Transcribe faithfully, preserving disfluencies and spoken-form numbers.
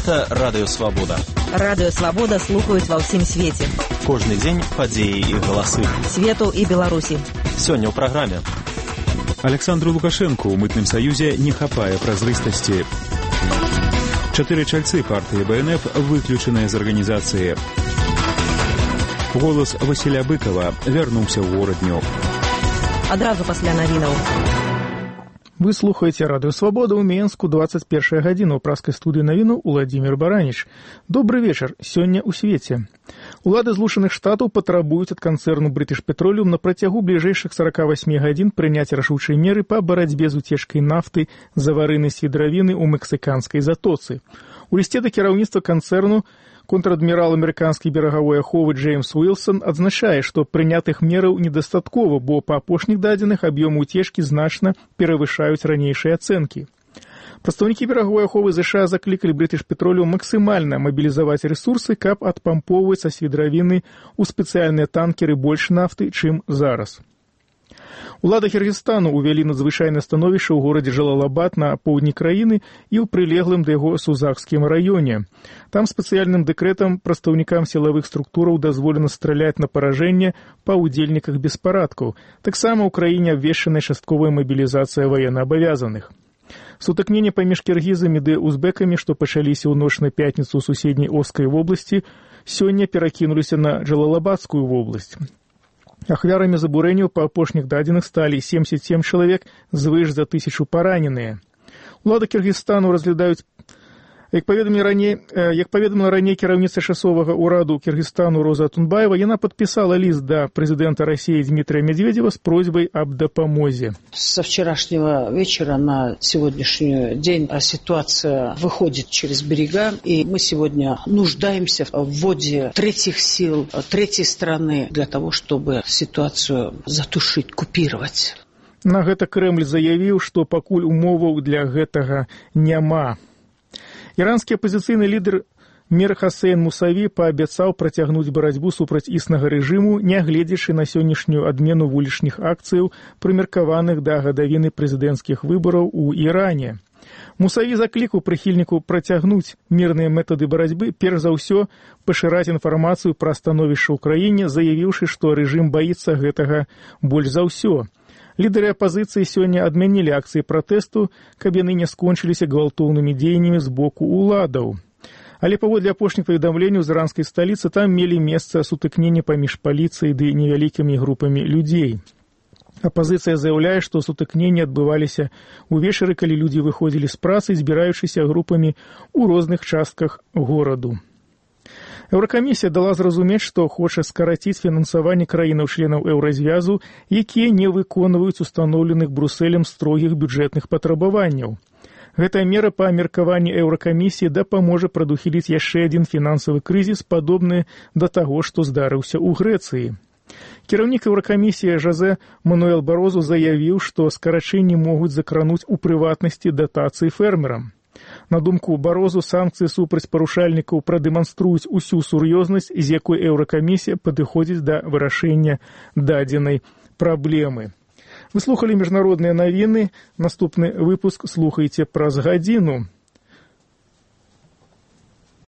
Гэта Радыё Свабода. Радыё Свабода слухаюць ва ўсім свеце. Кожны дзень падзеі і галасы. Свету і Беларусі. Сёння ў праграме. Александру Лукашенку ў мытным саюзе не хапае празрыстасці. Чатыры чальцы партыі бэ эн эф выключаныя з арганізацыі. Голас Васіля Быкова вярнуўся ў горадню. Адразу пасля навінаў. Вы слухаеце Радыё Свабода ў Менску, двадцать первая гадзіна, ў праскай студыі навіну Уладзімір Бараніч. Добры вечар, сёння ў свеце. Улады Злучаных Штатаў патрабуюць ад канцэрну British Petroleum на працягу бліжэйшых сорока восьми гадзін прыняць рашучыя меры па барацьбе з уцечкай нафты з аварыйнай свідравіны ў мэксіканскай затоцы. У лісце да кіраўніцтва канцэрну контр-адмірал амерыканскай берагавой аховы Джеймс Уілсон адзначае, што прынятых мераў недастаткова, бо па апошніх дадзеных аб'ёмы уцечкі значна перавышаюць ранейшыя ацэнкі. Прадстаўнікі берагавой аховы ЗША заклікалі British Petroleum максімальна мабілізаваць рэсурсы, каб адпампоўваць са свідравіны ў спецыяльныя танкеры больш нафты, чым зараз. Улады Кіргізстану ўвялі надзвычайнае становішча ў горадзе Жалалабад на поўдні краіны і ў прылеглым да яго Сузакскім раёне. Там спецыяльным дэкрэтам прадстаўнікам сілавых структураў дазволена страляць на паражэнне па ўдзельніках беспарадкаў. Таксама ў краіне абвешчаная частковая мабілізацыя ваеннаабавязаных. Сутыкненне паміж кіргізамі ды узбекамі, што пачаліся ў ноч на пятніцу ў суседняй Оскай вобласці, сёння перакінуліся на Джалалабадскую вобласць. Ахвярамі забурэнняў па апошніх дадзеных сталі семьдесят семь чалавек, звыш за тысячу параненыя. Улады Кіргізстану разглядаюць, як паведамілі раней, як паведаміла раней кіраўніца часовага ўраду Кіргізстану Роза Атунбаева, яна падпісала ліст да прэзідэнта России Дмитрия Медведева с просьбой об допомозе. Со вчерашнего вечера на сегодняшний день ситуация выходит через берега, и мы сегодня нуждаемся в вводе третьих сил, третьей страны для того, чтобы ситуацию затушить, купировать. На гэта Крэмль заявіў, што пакуль умоваў для гэтага няма. Іранскі апазіцыйны лідар Мір Хасейн Мусаві паабяцаў працягнуць барацьбу супраць існага рэжыму, нягледзячы на сённяшнюю адмену вулічных акцыяў, прымеркаваных да гадавіны прэзідэнцкіх выбараў у Іране. Мусаві заклікаў прыхільніку працягнуць мірныя метады барацьбы, перш за ўсё пашыраць інфармацыю пра становішча ў краіне, заявіўшы, што рэжым баіцца гэтага больш за ўсё. Лідары апазіцыі сёння адмянілі акцыі пратэсту, каб яны не скончыліся гвалтоўнымі дзеяннямі з боку ўладаў. Але паводле апошніх паведамленняў з іранскай сталіцы там мелі месца сутыкнення паміж паліцыяй ды невялікімі групамі людзей. Апазіцыя заяўляе, што сутыкненні адбываліся ўвечары, калі людзі выходзілі з працы, збіраючыся групамі ў розных частках гораду. Еўракамісія дала зразумець, што хоча скараціць фінансаванне краінаў-членаў еўразвязу, якія не выконваюць устаноўленых Брусэлем строгіх бюджэтных патрабаванняў. Гэтая мера па меркаванні еўракамісіі дапаможа прадухіліць яшчэ адзін фінансавы крызіс, падобны да таго, што здарыўся ў Грэцыі. Кіраўнік еўракамісіі Жозе Мануэл Барозу заявіў, што скарачэнні могуць закрануць у прыватнасці датацыі фермерам. На думку Барозу, санкцыі супраць парушальнікаў прадэманструюць усю сур'ёзнасць, з якой еўракамісія падыходзіць да вырашэння дадзенай праблемы. Вы слухалі міжнародныя навіны. Наступны выпуск слухайце праз гадзіну.